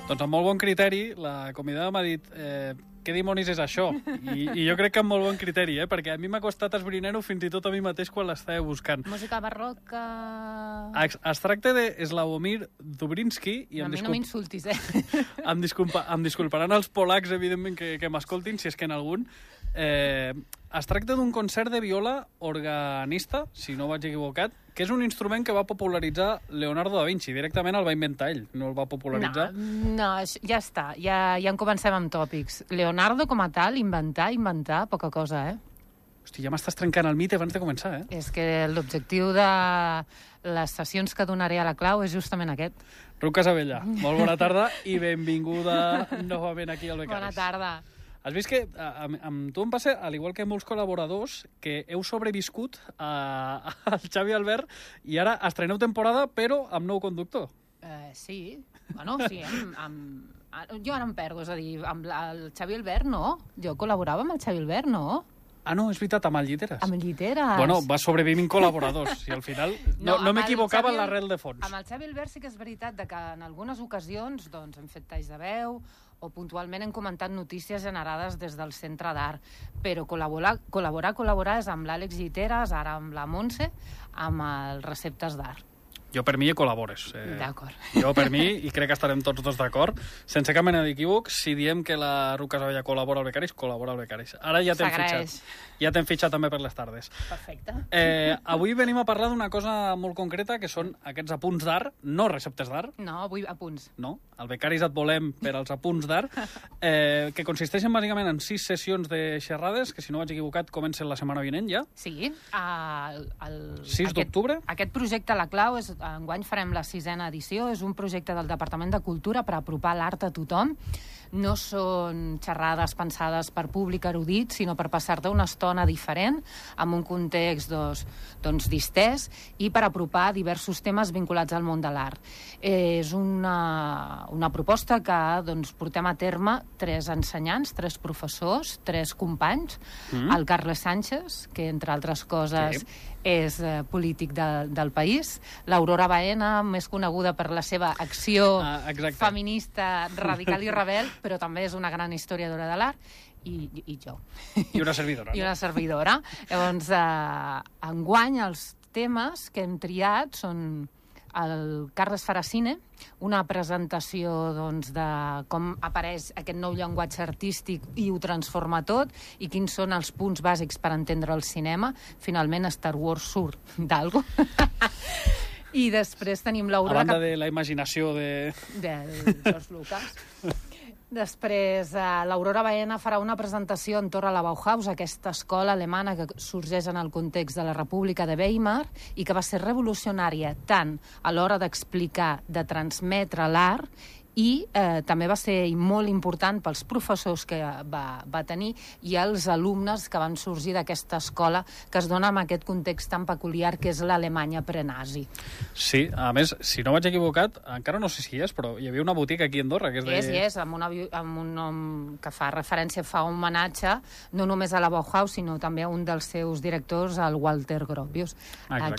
Doncs amb molt bon criteri, la convidada m'ha dit què dimonis és això? I jo crec que amb molt bon criteri, perquè a mi m'ha costat esbrinar-ho fins i tot a mi mateix quan l'estava buscant. Música barroca... Es tracta de Sławomir Dubryński... A mi no m'insultis, Em disculparan els polacs, evidentment, que m'escoltin, si és que en algun. Es tracta d'un concert de viola organista, si no vaig equivocat, que és un instrument que va popularitzar Leonardo da Vinci. Directament el va inventar ell, no el va popularitzar. No, ja està. Ja en comencem amb tòpics. Leonardo, com a tal, inventar, poca cosa, Hosti, ja m'estàs trencant el mite abans de començar, És que l'objectiu de les sessions que donaré a la clau és justament aquest. Ruth Casabella, molt bona tarda i benvinguda novament aquí al Becaris. Bona tarda. Has vist que amb tu em passa, al igual que molts col·laboradors, que heu sobreviscut al Xavi Albert i ara estreneu temporada, però amb nou conductor. Sí, bueno, sí, jo ara em perdo, és a dir, amb el Xavi Albert no, jo col·laborava amb el Xavi Albert, no? Ah, no, és veritat, amb el Lliteres. Amb el Lliteres. Bueno, va sobrevivint col·laboradors i al final no m'equivocava en l'arrel de fons. Amb el Xavi Albert sí que és veritat que en algunes ocasions doncs, hem fet talls de veu o puntualment hem comentat notícies generades des del Centre d'Art, però col·laborar és amb l'Àlex Lliteres, ara amb la Montse, amb els Receptes d'Art. Jo per mi hi col·labores. D'acord. Jo per mi, i crec que estarem tots dos d'acord, sense cap mena d'equívoc, si diem que la Ruth Casabella col·labora al Becaris, col·labora al Becaris. Ara ja t'hem fitxat. Ja t'hem fitxat també per les tardes. Perfecte. Avui venim a parlar d'una cosa molt concreta, que són aquests apunts d'art, no receptes d'art. No, avui apunts. No, al Becaris et volem per als apunts d'art, que consisteixen bàsicament en 6 sessions de xerrades, que si no vaig equivocat comencen la setmana vinent ja. Sí. 6 d'octubre. Aquest projecte, la clau, enguany farem la 6a edició, és un projecte del Departament de Cultura per apropar l'art a tothom. No són xerrades pensades per públic erudit, sinó per passar-te una estona diferent, amb un context distès, i per apropar diversos temes vinculats al món de l'art. És una proposta que portem a terme 3 ensenyants, 3 professors, 3 companys, el Carles Sánchez, que entre altres coses és polític del país, l'Aurora Baena, més coneguda per la seva acció feminista radical i rebel, però també és una gran historiadora de l'art, i jo. I una servidora. I una servidora. Llavors, enguany els temes que hem triat són el Carles Faracine, una presentació de com apareix aquest nou llenguatge artístic i ho transforma tot, i quins són els punts bàsics per entendre el cinema. Finalment, Star Wars surt d'algo. I després tenim l'Aurora... A banda de la imaginació de George Lucas. Després, l'Aurora Baena farà una presentació entorn a la Bauhaus, aquesta escola alemana que sorgeix en el context de la República de Weimar i que va ser revolucionària tant a l'hora d'explicar, de transmetre l'art, i també va ser molt important pels professors que va tenir i els alumnes que van sorgir d'aquesta escola que es dona en aquest context tan peculiar que és l'Alemanya prenazi. Sí, a més, si no vaig equivocat, encara no sé si és, però hi havia una botiga aquí a Andorra que és amb un nom que fa referència, fa un homenatge no només a la Bauhaus, sinó també a un dels seus directors, el Walter Gropius.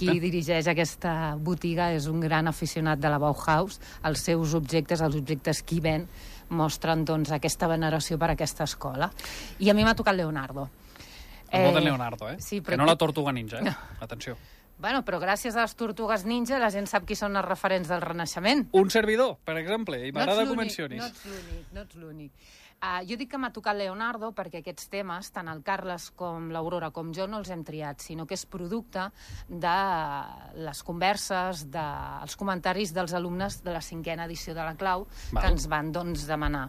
Qui dirigeix aquesta botiga és un gran aficionat de la Bauhaus. Els seus objectes, els objectes que hi ven, mostren aquesta veneració per aquesta escola. I a mi m'ha tocat Leonardo. El de Leonardo, Sí, que no la Tortuga Ninja, Atenció. Bueno, però gràcies a les Tortugues Ninja la gent sap qui són els referents del Renaixement. Un servidor, per exemple, i m'agrada que ho mencionis. No ets l'únic. Jo dic que m'ha tocat Leonardo perquè aquests temes, tant el Carles com l'Aurora com jo, no els hem triat, sinó que és producte de les converses, dels comentaris dels alumnes de la 5a edició de la Clau, que ens van demanar.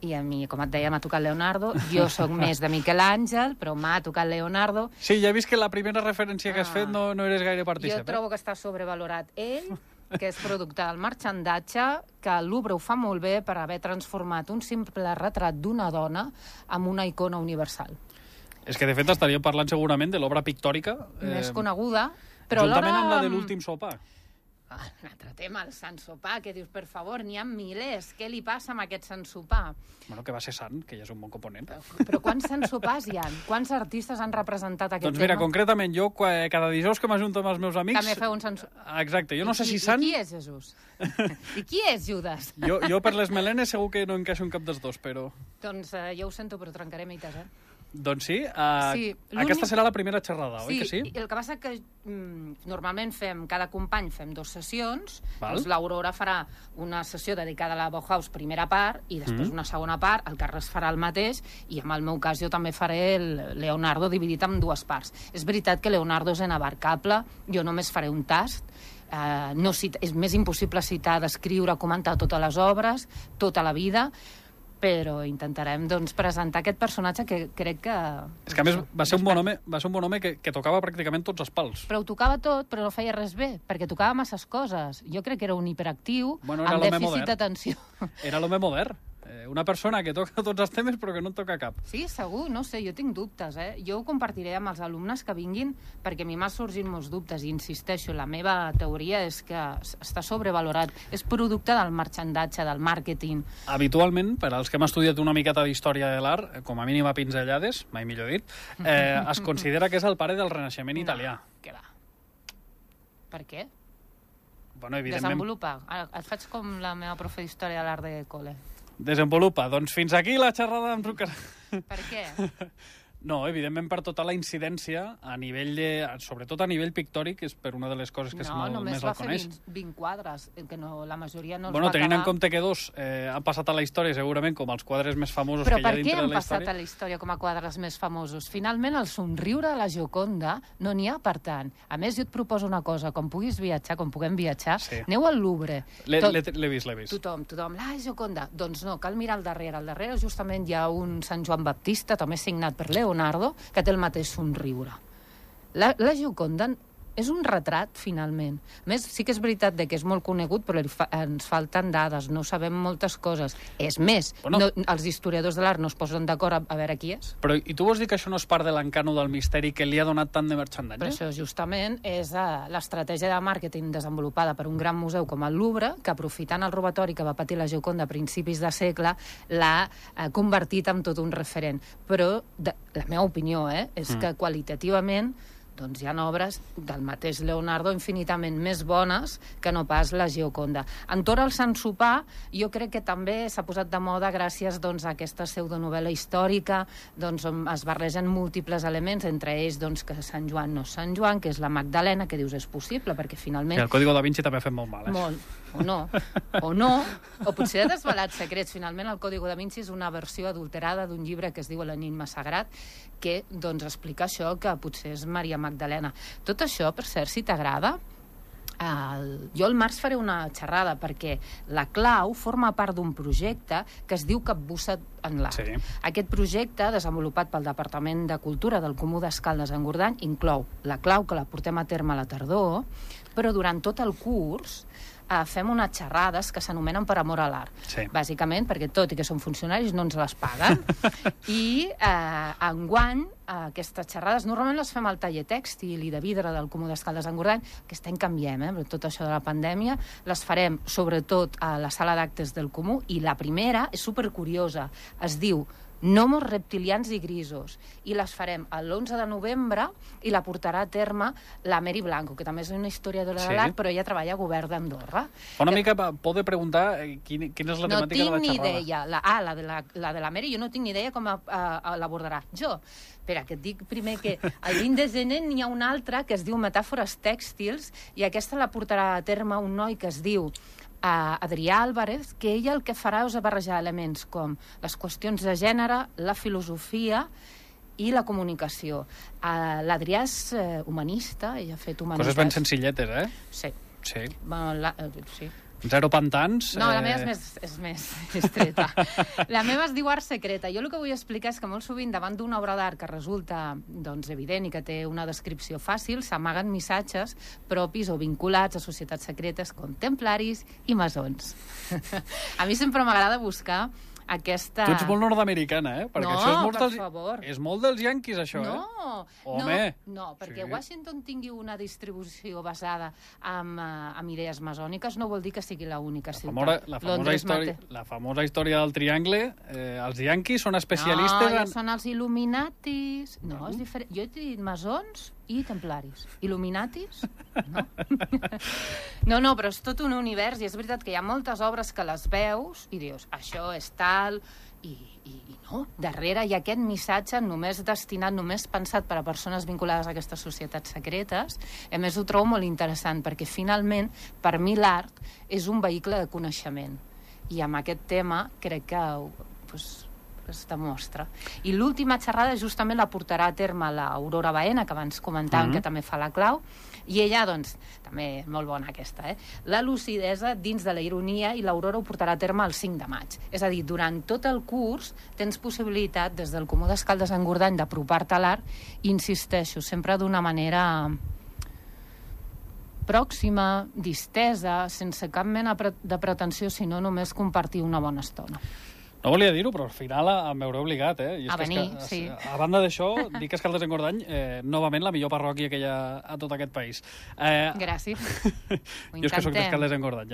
I a mi, com et deia, m'ha tocat Leonardo. Jo sóc més de Miquel Àngel, però m'ha tocat Leonardo. Sí, ja he vist que la primera referència que has fet no eres gaire partícip. Jo trobo que està sobrevalorat ell, que és producte del marxandatge, que el Louvre ho fa molt bé per haver transformat un simple retrat d'una dona en una icona universal. És que, de fet, estaríem parlant segurament de l'obra pictòrica més coneguda, però juntament amb la de l'últim sopar. Un altre tema, el sant sopar, que dius, per favor, n'hi ha milers. Què li passa amb aquest sant sopar? Bueno, que va ser sant, que ja és un bon component. Però quants sant sopars hi ha? Quants artistes han representat aquest tema? Doncs mira, concretament, jo cada dijous que m'ajunto amb els meus amics... També feu un sant sopar. Exacte, jo no sé si sant... I qui és Jesús? I qui és Judas? Jo per les melenes segur que no encaixo en cap dels dos, però... Doncs jo ho sento, però trencaré mites, Doncs sí, aquesta serà la primera xerrada, oi que sí? Sí, el que passa que normalment cada company fem 2 sessions, Val. doncs l'Aurora farà una sessió dedicada a la Bauhaus, primera part, i després una segona part, el Carles farà el mateix, i en el meu cas jo també faré el Leonardo dividit en 2 parts. És veritat que Leonardo és inabarcable, jo només faré un tast, és més impossible citar, descriure, comentar totes les obres, tota la vida, però intentarem doncs, presentar aquest personatge que crec que... És que a més va ser un bon home que tocava pràcticament tots els pals. Però ho tocava tot, però no feia res bé, perquè tocava masses coses. Jo crec que era un hiperactiu amb dèficit d'atenció. Era l'home modern. Una persona que toca tots els temes però que no en toca cap. Sí, segur, no sé, jo tinc dubtes. Jo ho compartiré amb els alumnes que vinguin perquè a mi m'ha sorgit molts dubtes i insisteixo, la meva teoria és que està sobrevalorat. És producte del marxandatge, del màrqueting. Habitualment, per als que hem estudiat una miqueta d'història de l'art, com a mínim a pinzellades, mai millor dit, es considera que és el pare del Renaixement italià. Què va? Per què? Bueno, evidentment... Desenvolupa. Et faig com la meva profe d'història de l'art de col·le. Desenvolupa. Doncs fins aquí la xerrada amb Zucker. Per què? No, evidentment per tota la incidència a nivell sobretot a nivell pictòric, és per una de les coses que més el coneix. No, només va fer 20 quadres, que la majoria no els va acabar. Tenint en compte que 2 han passat a la història segurament com els quadres més famosos que hi ha dintre de la història. Però per què han passat a la història com a quadres més famosos? Finalment, el somriure de la Gioconda no n'hi ha per tant. A més, jo et proposo una cosa, com puguis viatjar, com puguem viatjar, aneu al Louvre. L'he vist. Tothom, la Gioconda. Doncs no, cal mirar al darrere. Al darrere justament hi ha un Sant Joan Baptista, també signat per Leonardo, que té el mateix somriure. La Gioconda és un retrat, finalment. A més, sí que és veritat que és molt conegut, però ens falten dades, no sabem moltes coses. És més, els historiadors de l'art no es posen d'acord a veure qui és. Però i tu vols dir que això no és part de l'encant del misteri que li ha donat tant de marxandatge? Però això justament és l'estratègia de màrqueting desenvolupada per un gran museu com el Louvre, que aprofitant el robatori que va patir la Gioconda a principis de segle, l'ha convertit en tot un referent. Però la meva opinió és que qualitativament doncs hi ha obres del mateix Leonardo infinitament més bones que no pas la Gioconda. Entorn al Sant Sopar, jo crec que també s'ha posat de moda gràcies a aquesta pseudonovel·la històrica on es barregen múltiples elements, entre ells que Sant Joan no és Sant Joan, que és la Magdalena, que dius és possible, perquè finalment... Que el Código da Vinci també ha fet molt mal, Molt. O potser ha desvelat secrets. Finalment, el Código da Vinci és una versió adulterada d'un llibre que es diu L'enigma sagrat, que explica això, que potser és Maria Magdalena. Tot això, per cert, si t'agrada, jo al març faré una xerrada perquè la clau forma part d'un projecte que es diu Capbussat en l'art. Sí. Aquest projecte, desenvolupat pel Departament de Cultura del Comú d'Escaldes-Engordany, inclou la clau, que la portem a terme a la tardor, però durant tot el curs fem unes xerrades que s'anomenen per amor a l'art. Sí. Bàsicament perquè, tot i que són funcionaris, no ens les paguen. I enguany aquestes xerrades normalment les fem al taller tèxtil i de vidre del Comú d'Escaldes-Engordany. Aquest any canviem, per tot això de la pandèmia. Les farem sobretot a la sala d'actes del Comú, i la primera és supercuriosa. Es diu Gnomos reptilians i grisos, i les farem l'11 de novembre i la portarà a terme la Mary Blanco, que també és una historiadora de l'art, però ella treballa a Govern d'Andorra. Una mica pot preguntar quina és la temàtica de la xerrada. No tinc ni idea. La de la Mary, jo no tinc ni idea com l'abordarà. Espera, que et dic primer que el 20 de gener n'hi ha una altra que es diu Metàfores tèxtils, i aquesta la portarà a terme un noi que es diu Adrià Álvarez, que ella el que farà és barrejar elements com les qüestions de gènere, la filosofia i la comunicació. L'Adrià és humanista, ella ha fet humanitats. Coses ben senzilletes, Sí. Sí. Zero pantans. No, la meva és més estreta. La meva es diu Art Secreta. Jo el que vull explicar és que molt sovint davant d'una obra d'art que resulta evident i que té una descripció fàcil, s'amaguen missatges propis o vinculats a societats secretes com templaris i masons. A mi sempre m'agrada buscar aquesta... Tu ets molt nord-americana, Perquè això és molt per favor. És molt dels yanquis, això, Home! No, perquè Washington tingui una distribució basada en idees masòniques no vol dir que sigui l'única ciutat. La famosa història del triangle, els yanquis són especialistes No, són els Illuminatis. No, és diferent. Jo he dit masons i templaris. Illuminatis? No. No, però és tot un univers i és veritat que hi ha moltes obres que les veus i dius, això és tal, i no. Darrere hi ha aquest missatge només destinat, només pensat per a persones vinculades a aquestes societats secretes. A més, ho trobo molt interessant perquè finalment, per mi, l'art és un vehicle de coneixement. I amb aquest tema crec que es demostra. I l'última xerrada justament la portarà a terme l'Aurora Baena, que abans comentàvem que també fa la clau, i ella, doncs, també molt bona aquesta, la lucidesa dins de la ironia, i l'Aurora ho portarà a terme el 5 de maig. És a dir, durant tot el curs tens possibilitat, des del Comú d'Escaldes a Engordany, d'apropar-te a l'art, i insisteixo, sempre d'una manera pròxima, distesa, sense cap mena de pretensió, sinó només compartir una bona estona. No volia dir-ho, però al final em veuré obligat, I és a venir, sí. A banda d'això, dic que Escaldes Engordany, novament la millor parròquia que hi ha a tot aquest país. Gràcies. Jo és que soc d'Escaldes Engordany,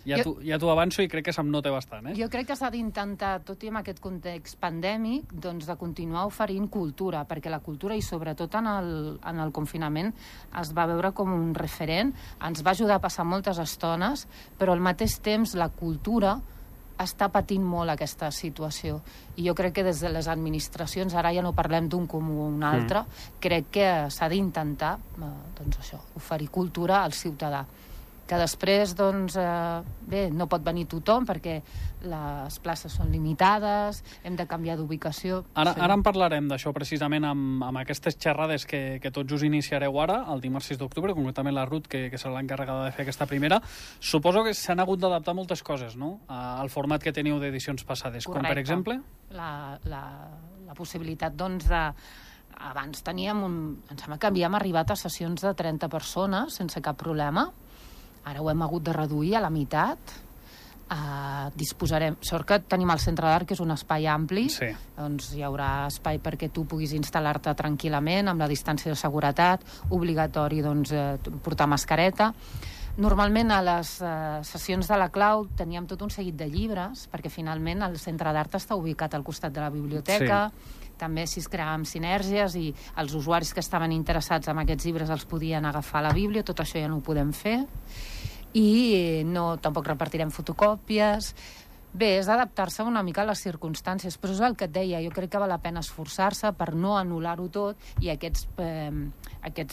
ja t'ho avanço i crec que se'm nota bastant, Jo crec que s'ha d'intentar, tot i en aquest context pandèmic, doncs de continuar oferint cultura, perquè la cultura, i sobretot en el confinament, es va veure com un referent, ens va ajudar a passar moltes estones, però al mateix temps la cultura està patint molt aquesta situació. I jo crec que des de les administracions, ara ja no parlem d'un comú o un altre, crec que s'ha d'intentar, doncs això, oferir cultura al ciutadà. Que després, doncs, bé, no pot venir tothom perquè les places són limitades, hem de canviar d'ubicació. Ara en parlarem d'això precisament amb aquestes xerrades que tots us iniciareu ara, el dimarts 6 d'octubre, concretament la Ruth, que serà l'encarregada de fer aquesta primera. Suposo que s'han hagut d'adaptar moltes coses, no?, al format que teniu d'edicions passades. Correcte. Com, per exemple? La possibilitat, doncs, de... Abans teníem em sembla que havíem arribat a sessions de 30 persones sense cap problema. Ara ho hem hagut de reduir a la meitat. Disposarem... Sort que tenim el centre d'art, que és un espai ampli. Sí. Doncs hi haurà espai perquè tu puguis instal·lar-te tranquil·lament, amb la distància de seguretat, obligatori, doncs, portar mascareta. Normalment a les sessions de la clau teníem tot un seguit de llibres, perquè finalment el centre d'art està ubicat al costat de la biblioteca. Sí. També si es creàvem sinergies i els usuaris que estaven interessats en aquests llibres els podien agafar a la bíblia, tot això ja no ho podem fer. I tampoc repartirem fotocòpies. Bé, és adaptar-se una mica a les circumstàncies, però és el que et deia, jo crec que val la pena esforçar-se per no anul·lar-ho tot i aquests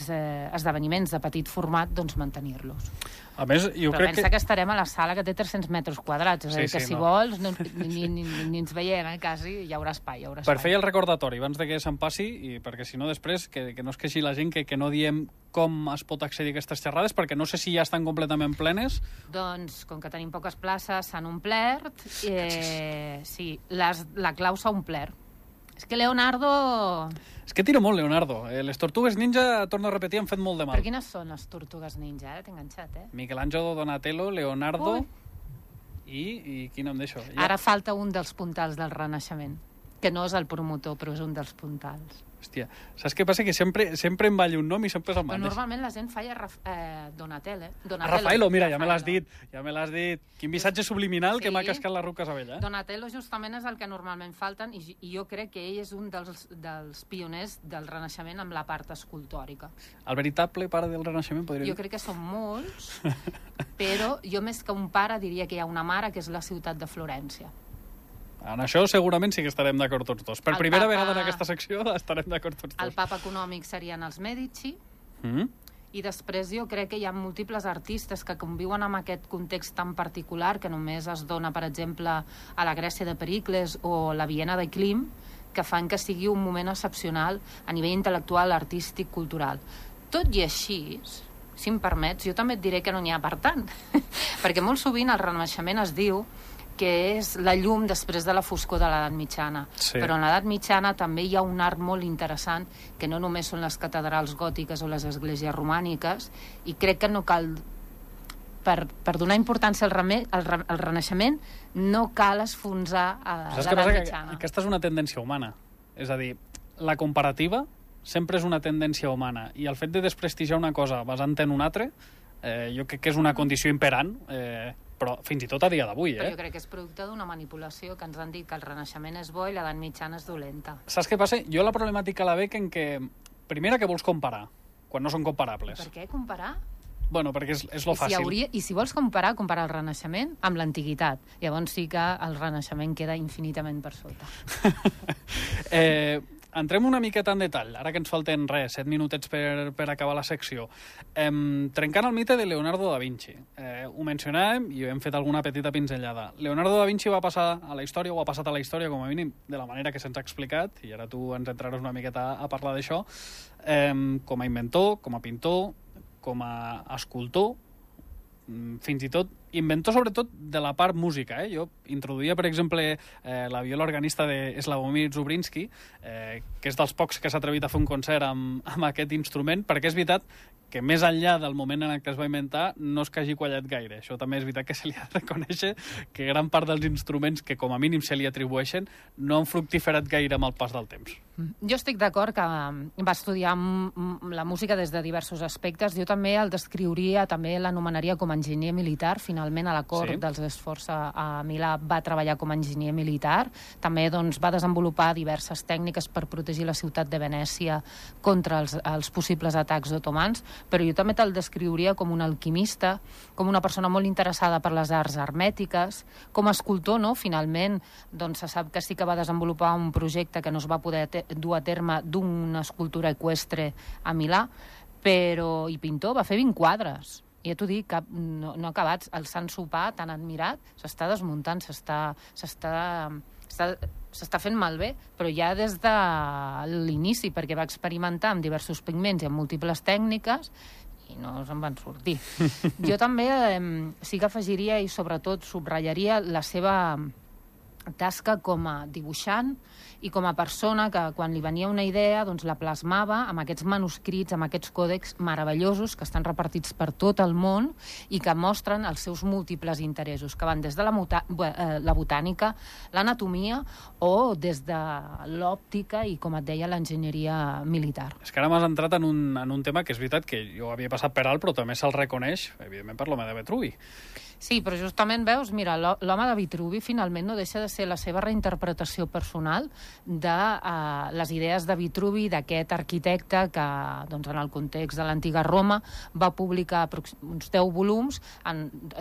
esdeveniments de petit format, doncs mantenir-los. A més, jo crec pensa que estarem a la sala que té 300 metres quadrats, és a dir, que si vols ni ens veiem, quasi, hi haurà espai. Per fer el recordatori, abans de que se'n passi, i perquè si no després, que no es queixi la gent que no diem com es pot accedir a aquestes xerrades, perquè no sé si ja estan completament plenes. Doncs, com que tenim poques places, s'han omplert. Sí, la clau s'ha omplert. És que Leonardo... És que tiro molt, Leonardo. Les Tortugues Ninja, torno a repetir, han fet molt de mal. Per quines són les Tortugues Ninja? Ara t'he enganxat, Michelangelo, Donatello, Leonardo... I quin nom d'això? Ara falta un dels puntals del Renaixement, que no és el promotor, però és un dels puntals. Hòstia, saps què passa? Que sempre em balli un nom i sempre és el mateix. Però normalment la gent falla Donatello. Rafaelo, mira, ja me l'has dit. Quin missatge subliminal que m'ha cascat la Ruth Casabella. Donatello justament és el que normalment falten i jo crec que ell és un dels pioners del Renaixement amb la part escultòrica. El veritable pare del Renaixement, podria dir? Jo crec que són molts, però jo més que un pare diria que hi ha una mare que és la ciutat de Florència. En això segurament sí que estarem d'acord tots dos. Per primera vegada en aquesta secció estarem d'acord tots dos. El papa econòmic serien els Medici, i després jo crec que hi ha múltiples artistes que conviuen amb aquest context tan particular que només es dona, per exemple, a la Grècia de Pericles o la Viena de Klim, que fan que sigui un moment excepcional a nivell intel·lectual, artístic, cultural. Tot i així, si em permets, jo també et diré que no n'hi ha per tant. Perquè molt sovint el Renaixement es diu que és la llum després de la foscor de l'edat mitjana. Sí. Però en l'edat mitjana també hi ha un art molt interessant, que no només són les catedrals gòtiques o les esglésies romàniques, i crec que no cal per donar importància al Renaixement no cal esfonsar l'edat mitjana. Aquesta és una tendència humana. És a dir, la comparativa sempre és una tendència humana i el fet de desprestigiar una cosa basant en una altra jo crec que és una condició imperant, però fins i tot a dia d'avui. Però jo crec que és producte d'una manipulació, que ens han dit que el Renaixement és bo i l'edat mitjana és dolenta. Saps què passa? Jo la problemàtica la veig en que, primera, que vols comparar, quan no són comparables. Per què comparar? Bueno, perquè és lo fàcil. I si vols comparar el Renaixement amb l'Antiguitat. Llavors sí que el Renaixement queda infinitament per sota. Entrem una miqueta en detall, ara que ens falten 7 minutets per acabar la secció. Trencant el mite de Leonardo da Vinci. Ho mencionàvem i hem fet alguna petita pinzellada. Leonardo da Vinci va passar a la història, o ha passat a la història com a mínim de la manera que se'ns ha explicat, i ara tu ens entraràs una miqueta a parlar d'això, com a inventor, com a pintor, com a escultor, fins i tot inventor sobretot de la part música. Jo introduïa, per exemple, la viola organista de Slavomir Zubrinski, que és dels pocs que s'ha atrevit a fer un concert amb aquest instrument, perquè és veritat que més enllà del moment en què es va inventar no és que hagi quallat gaire. Això també és veritat que se li ha de reconèixer que gran part dels instruments que com a mínim se li atribueixen no han fructiferat gaire amb el pas del temps. Jo estic d'acord que va estudiar la música des de diversos aspectes. Jo també el descriuria, també l'anomenaria com a enginyer militar. Finalment a la cort dels Sforza a Milà va treballar com a enginyer militar. També va desenvolupar diverses tècniques per protegir la ciutat de Venècia contra els possibles atacs otomans, però jo també te'l descriuria com un alquimista, com una persona molt interessada per les arts hermètiques, com a escultor, no? Finalment, se sap que sí que va desenvolupar un projecte que no es va poder dur a terme d'una escultura eqüestre a Milà, i pintor, va fer 20 quadres. I ja t'ho dic, no acabats. El Sant Sopar, tan admirat, s'està desmuntant, s'està fent malbé, però ja des de l'inici, perquè va experimentar amb diversos pigments i amb múltiples tècniques i no se'n van sortir. Jo també sí que afegiria i sobretot subratllaria la seva tasca com a dibuixant i com a persona que quan li venia una idea la plasmava amb aquests manuscrits, amb aquests còdecs meravellosos que estan repartits per tot el món i que mostren els seus múltiples interessos, que van des de la botànica, l'anatomia o des de l'òptica i, com et deia, l'enginyeria militar. És que ara m'has entrat en un tema que és veritat que jo havia passat per alt, però també se'l reconeix, evidentment, per l'home de Vitruvi. Sí, però justament veus, mira, l'home de Vitruvi finalment no deixa de ser la seva reinterpretació personal de les idees de Vitruvi, d'aquest arquitecte que, en el context de l'antiga Roma, va publicar uns 10 volums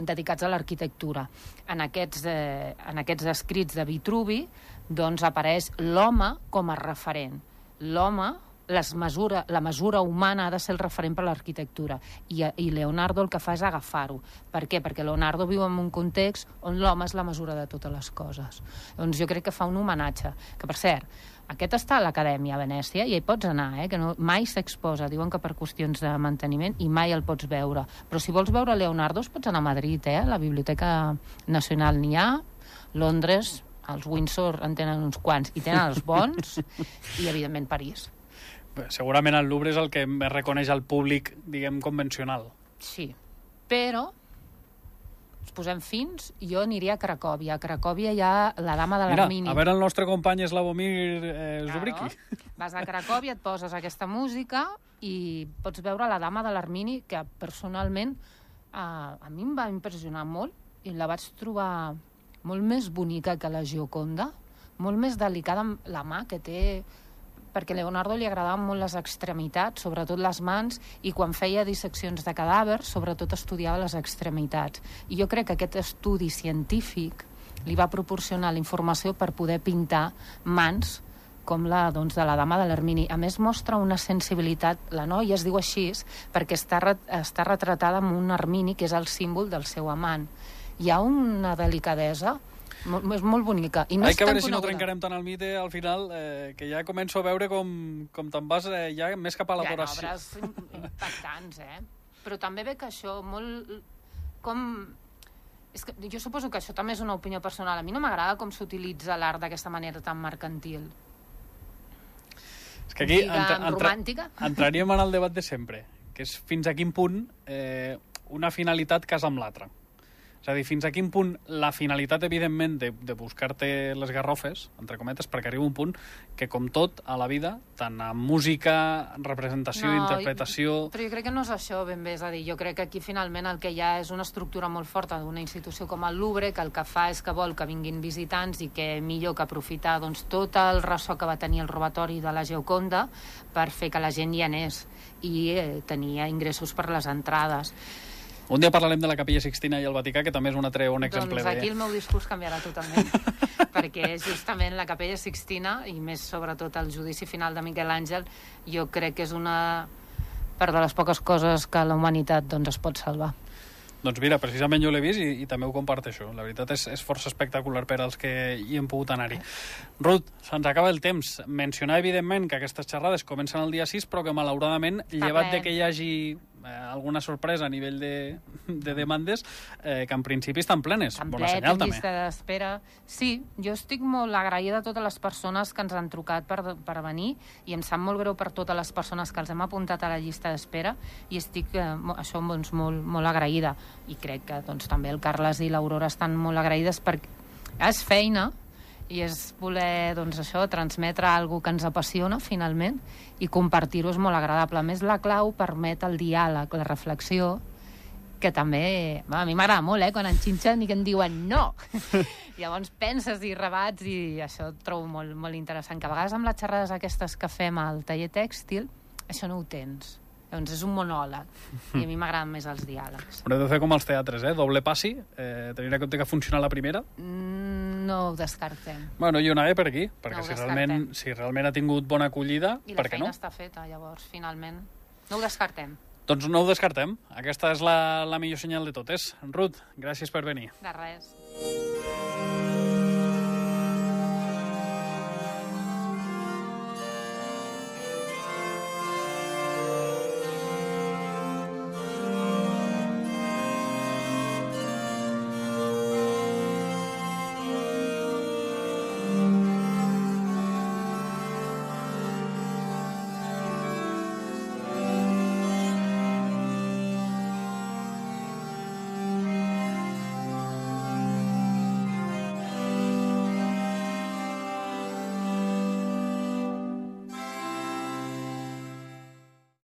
dedicats a l'arquitectura. En aquests escrits de Vitruvi apareix l'home com a referent. L'home, la mesura humana ha de ser el referent per a l'arquitectura i Leonardo el que fa és agafar-ho. Per què? Perquè Leonardo viu en un context on l'home és la mesura de totes les coses. Doncs jo crec que fa un homenatge, que per cert, aquest està a l'Acadèmia a Venècia i hi pots anar, que mai s'exposa, diuen que per qüestions de manteniment, i mai el pots veure. Però si vols veure Leonardo pots anar a Madrid, a la Biblioteca Nacional n'hi ha, Londres, els Windsor en tenen uns quants i tenen els bons, i evidentment París. Segurament el Louvre és el que més reconeix al públic, diguem, convencional. Sí, però ens posem fins, jo aniria a Cracòvia. A Cracòvia hi ha la Dama de l'Armini. Mira, a veure el nostre company Slavomir Zubrinski. Vas a Cracòvia, et poses aquesta música i pots veure la Dama de l'Armini, que personalment a mi em va impressionar molt i la vaig trobar molt més bonica que la Gioconda, molt més delicada amb la mà que té, perquè a Leonardo li agradaven molt les extremitats, sobretot les mans, i quan feia disseccions de cadàvers, sobretot estudiava les extremitats. I jo crec que aquest estudi científic li va proporcionar la informació per poder pintar mans com la de la Dama de l'Armini. A més, mostra una sensibilitat. La noia es diu així perquè està retratada amb un armini, que és el símbol del seu amant. Hi ha una delicadesa és molt bonica. I no que veure si no trencarem tant el mite al final, que ja començo a veure com te'n vas ja més cap a l'adoració. Hi ha obres impactants, Però també ve que això molt... És que jo suposo que això també és una opinió personal. A mi no m'agrada com s'utilitza l'art d'aquesta manera tan mercantil. És que aquí entraríem en el debat de sempre, que és fins a quin punt una finalitat casa amb l'altra. És a dir, fins a quin punt la finalitat, evidentment, de buscar-te les garrofes, entre cometes, perquè arriba un punt que, com tot a la vida, tant en música, representació, interpretació... Però jo crec que no és això ben bé, és a dir, jo crec que aquí finalment el que hi ha és una estructura molt forta d'una institució com el Louvre, que el que fa és que vol que vinguin visitants i que millor que aprofitar doncs, tot el ressò que va tenir el robatori de la Gioconda per fer que la gent hi anés i tenia ingressos per les entrades. Un dia parlarem de la Capella Sixtina i el Vaticà, que també és un altre bon exemple. Doncs aquí el meu discurs canviarà totalment, perquè justament la Capella Sixtina, i més sobretot el judici final de Miquel Àngel, jo crec que és una part de les poques coses que la humanitat doncs, es pot salvar. Doncs mira, precisament jo l'he vist i també ho comparteixo. La veritat és força espectacular per als que hi hem pogut anar-hi. Ruth, se'ns acaba el temps. Mencionar, evidentment, que aquestes xerrades comencen el dia 6, però que, malauradament, llevat de que hi hagi alguna sorpresa a nivell de demandes, que en principi estan plenes. Bona senyal, també. Llista d'espera. Sí, jo estic molt agraïda a totes les persones que ens han trucat per venir i em sap molt greu per totes les persones que els hem apuntat a la llista d'espera i estic això doncs, molt agraïda. I crec que doncs, també el Carles i l'Aurora estan molt agraïdes perquè és feina i és voler doncs, això, transmetre alguna que ens apassiona finalment i compartir-ho és molt agradable. A més, la clau permet el diàleg, la reflexió, que també a mi m'agrada molt, quan enxinxen i que em diuen no. Llavors penses i rebats i això ho trobo molt, molt interessant, que a vegades amb les xerrades aquestes que fem al taller tèxtil això no ho tens. Llavors és un monòleg i a mi m'agraden més els diàlegs. Però heu de fer com els teatres, doble passi, tenir en compte que funciona la primera. No ho descartem. Bueno, jo anava per aquí, perquè si realment ha tingut bona acollida, per què no? I la feina està feta, llavors, finalment. No ho descartem. Doncs no ho descartem. Aquesta és la millor senyal de totes. Ruth, gràcies per venir. De res.